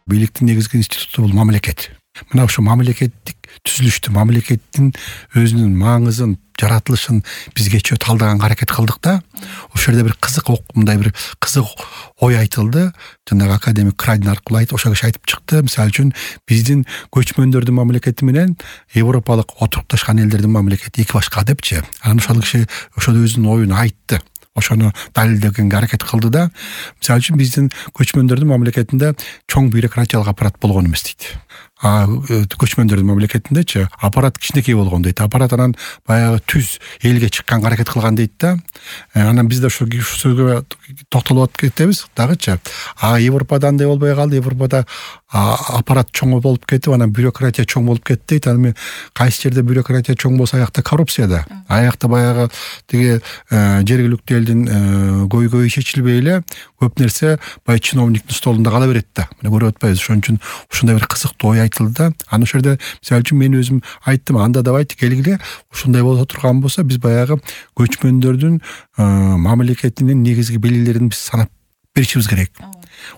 бийликтин негизги институту бул мамлекет. Мына ошо мамлекеттик түзүлүштү, мамлекеттин өзүнүн маңызын, жаратылышын биз кечээ талдаганга аракет кылдык да. Ошол жерде бир кызык мындай бир кызык ой айтылды. Жанагы академик Крайдин аркылуу ошол киши айтып чыкты. Мисалы үчүн биздин көчмөндөрдүн мамлекети менен европалык отурукташкан элдердин мамлекети эки башка депчи. Анан ошол киши ошол өзүнүн оюн айтты. Ошону далилдегенге аракет кылды да. Мисалы үчүн биздин көчмөндөрдүн мамлекетинде чоң бюрократиялык аппарат болгон эмес дейт. Көчмөндөрдүн мамлекетиндечи аппарат кичинекей болгон дейт. Аппарат анан баягы түз элге чыкканга аракет кылган дейт да. Анан биз да ушул сөзгө токтолуп кетебиз дагычы. Европада андай болбой калды. Европада аппарат чоң болуп кетип, анан бюрократия чоң болуп кетти дейт. Анан кайсы жерде бюрократия чоң болсо, аякта коррупция да. Аякта баягы тиги жергиликтүү элдин көйгөйү чечилбей эле көп нерсе баягы чиновниктин столунда кала берет да. Мына көрүп атпайбыз. Ошон үчүн ушундай бир кызыктуу ой айтылды да. Анан ошол жерде мисалы үчүн мен өзүм айттым, анда давайте келгиле, ушундай боло турган болсо биз баягы көчмөндөрдүн мамлекетинин негизги белгилерин биз санап беришибиз керек.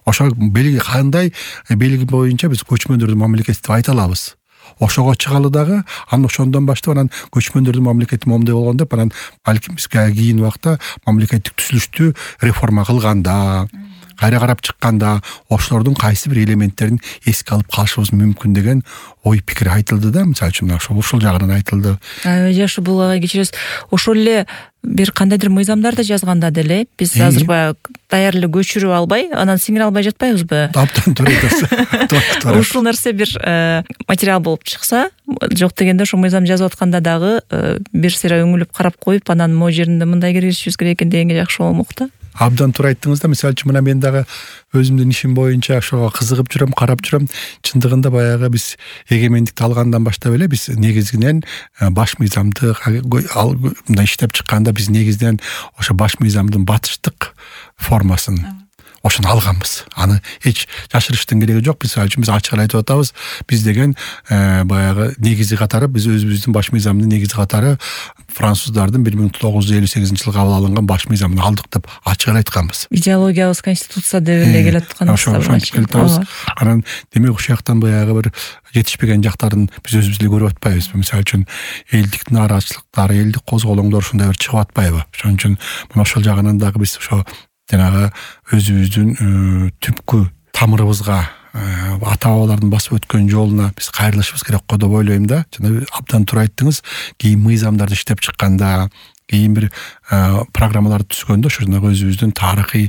Ошол белги кандай белги боюнча биз көчмөндөрдүн мамлекети деп айта алабыз. Ошого чыгалы дагы, анан ошондон баштап анан көчмөндөрдүн мамлекети момундай болгон деп, анан балким биз кийин убакта мамлекеттик түзүлүштү реформа кылганда, кайра карап чыкканда ошолордун кайсы бир элементтерин эске алып калышыбыз мүмкүн деген ой пикир айтылды да. Мисалы үчүн ушул жагынан айтылды. Жакшы, бул кечиресиз. Ошол эле бир кандайдыр мыйзамдарды жазганда деле биз азыр баягы даяр эле көчүрүп албай, анан сиңире албай жатпайбызбы? Абдан туура. Ушул нерсе бир материал болуп чыкса, жок дегенде ошо мыйзам жазып атканда дагы бир сыйра өңүлүп карап коюп, анан могу жеринде мындай киргизишибиз керек экен дегенге жакшы болмок да. Абдан туура айттыңыз да. Мисалы үчүн мына мен дагы өзүмдүн ишим боюнча ошого кызыгып жүрөм, карап жүрөм. Чындыгында баягы биз эгемендикти алгандан баштап эле биз негизинен баш мыйзамды мындай иштеп чыкканда биз негизинен ошо баш мыйзамдын батыштык формасын ошону алганбыз. Аны эч жашырыштын кереги жок. Мисалы үчүн биз ачык эле айтып атабыз. Биз деген баягы негизи катары, биз өзүбүздүн баш мыйзамдын негизи катары француздардын 1958-жылы кабыл алынган баш мыйзамын алдык деп ачык эле айтканбыз. Идеологиябыз конституция деп эле келет аткан. Ошентип келатабыз. Анан демек ушул жактан баягы бир жетишпеген жактарын биз өзүбүз эле көрүп атпайбыз. Мисалы үчүн элдик нааразычылыктар, элдик козголоңдор ушундай бир чыгып атпайбы? Ошон үчүн мына ошол жагынан дагы биз ошо жанагы өзүбүздүн түпкү тамырыбызга, ата бабалардын басып өткөн жолуна биз кайрылышыбыз керек го деп ойлойм да. Жана абдан туура айттыңыз. Кийин мыйзамдарды иштеп чыкканда, кийин бир программаларды түзгөндө ошо жанагы өзүбүздүн тарыхый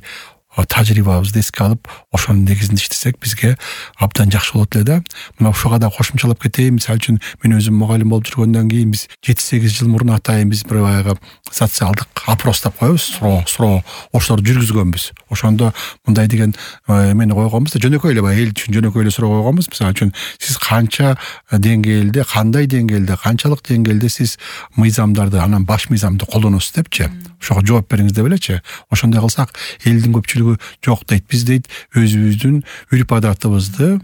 тажрыйбабызды эске алып, ошонун негизинде иштесек бизге абдан жакшы болот эле да. Мына ушуга да кошумчалап кетейин. Мисалы үчүн мен өзүм мугалим болуп жүргөндөн кийин биз 7-8 жыл мурун атайын биз бир баягы социалдык опрос деп коебуз, суроо ошолорду жүргүзгөнбүз. Ошондо мындай деген эмени койгонбуз да, жөнөкөй эле баягы эл үчүн жөнөкөй эле суроо койгонбуз. Мисалы үчүн сиз канча деңгээлде, кандай деңгээлде, канчалык деңгээлде сиз мыйзамдарды, анан баш мыйзамды колдоносуз депчи. Ошого жооп бериңиз деп элечи. Ошондой кылсак элдин көпчүлүгү жок дейт. Биз дейт өзүбүздүн үрп адатыбызды,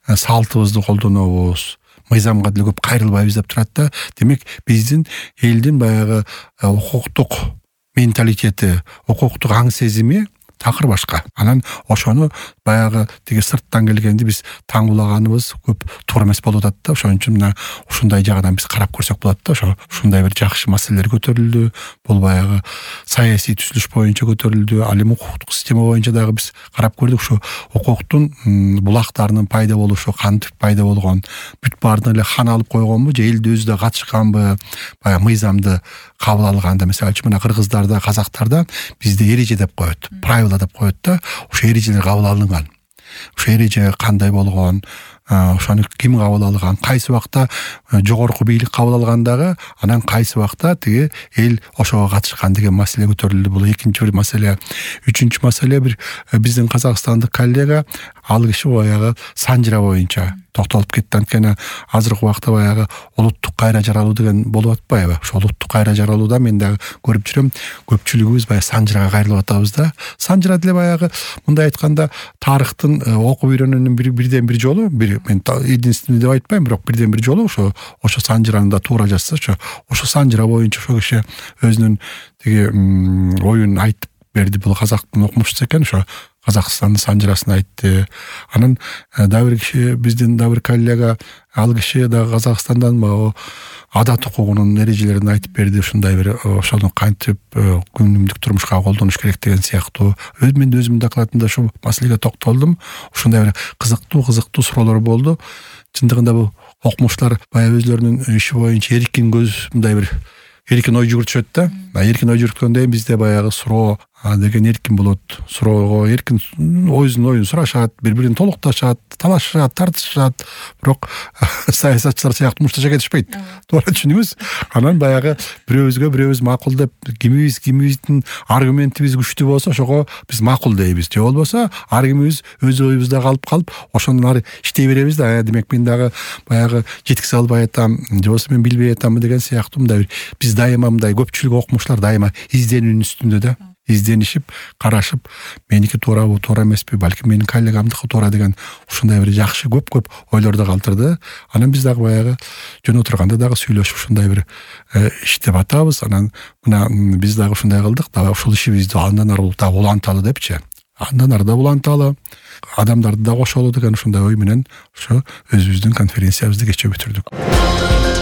салтыбызды колдонобуз. Мыйзамга деле көп кайрылбайбыз деп турат да. Демек биздин элдин баягы укуктук менталитети, укуктук аң сезими такыр башка. Анан ошону баягы тиги сырттан келгенди биз таңуулаганыбыз көп туура эмес болуп атат да. Ошон үчүн мына ушундай жагынан биз карап көрсөк болот да. Ушундай бир жакшы маселелер көтөрүлдү. Бул баягы саясий түзүлүш боюнча көтөрүлдү. Ал эми укуктук система боюнча дагы биз карап көрдүк. Ушу укуктун булактарынын пайда болушу, кантип пайда болгон, бүт баардыгын эле хан алып койгонбу же элди өзү да катышканбы? Баягы мыйзамды кабыл алганда, мисалы үчүн мына кыргыздарда, казактарда бизде эреже деп коет, правила деп коет да. Ошо эрежелер кабыл алынган. Ошо эреже кандай болгон, ошону ким кабыл алган, кайсы убакта жогорку бийлик кабыл алган дагы, анан кайсы убакта тиги эл ошого катышкан деген маселе көтөрүлдү. Бул экинчи бир маселе. Үчүнчү маселе бир биздин казакстандык коллега ал киши баягы санжыра боюнча токтолуп кетти. Анткени азыркы убакта баягы улуттук кайра жаралуу деген болуп атпайбы? Ошол улуттук кайра жаралууда мен дагы көрүп жүрөм, көпчүлүгүбүз баягы санжырага кайрылып атабыз да. Санжыра деле баягы мындай айтканда тарыхтын окуп үйрөнүүнүн бирден бир жолу, мен единственный деп айтпайм, бирок бирден бир жолу ошо санжыраны да туура жазса, ошо санжыра боюнча ошо киши өзүнүн тиги оюн айтып берди. Бул казактын окумушчусу экен, ошо Казакстандын санжырасын айтты. Анан дагы бир киши, биздин дагы бир коллега, ал киши дагы Казакстандан адат укугунун эрежелерин айтып берди. Ушундай бир ошону кантип күнүмдүк турмушка колдонуш керек деген сыяктуу. Мен өзүмдүн докладымда ушул маселеге токтолдум. Ушундай бир кызыктуу суроолор болду. Чындыгында бул окумуштар баягы өзлөрүнүн иши боюнча эркин мындай бир эркин ой жүгүртүшөт да. Эркин ой жүгүрткөндөн кийин бизде баягы суроо деген эркин болот. Суроого эркин оюн сурашат, бири-бирин толукташат, талашышат, тартышат. Бирок саясатчылар сыяктуу мушташа кетишпейт. Туура түшүнүңүз. Анан баягы бирөөбүз макул деп, кимибиздин аргументибиз күчтүү болсо, ошого биз макул дейбиз. Же болбосо ар кимибиз өз оюбузда калып, ошондон ары иштей беребиз да. Демек мен дагы баягы жеткизе албай атам, же болбосо мен билбей атам деген сыяктуу мындай биз дайыма мындай көпчүлүк окумуштар дайыма изденүүнүн үстүндө да. Изденишип, карашып, меники туурабы, туура эмеспи, балким менин коллегамдыкы туура деген ушундай бир жакшы көп ойлорду калтырды. Анан биз дагы баягы жөн отурганда дагы сүйлөшүп ушундай бир иштеп атабыз. Анан мына биз дагы ушундай кылдык, дагы ушул ишибизди андан ары дагы уланталы депчи. Андан ары да уланталы, адамдарды да кошолу деген ушундай ой менен ошо өзүбүздүн конференциябызды кечээ бүтүрдүк.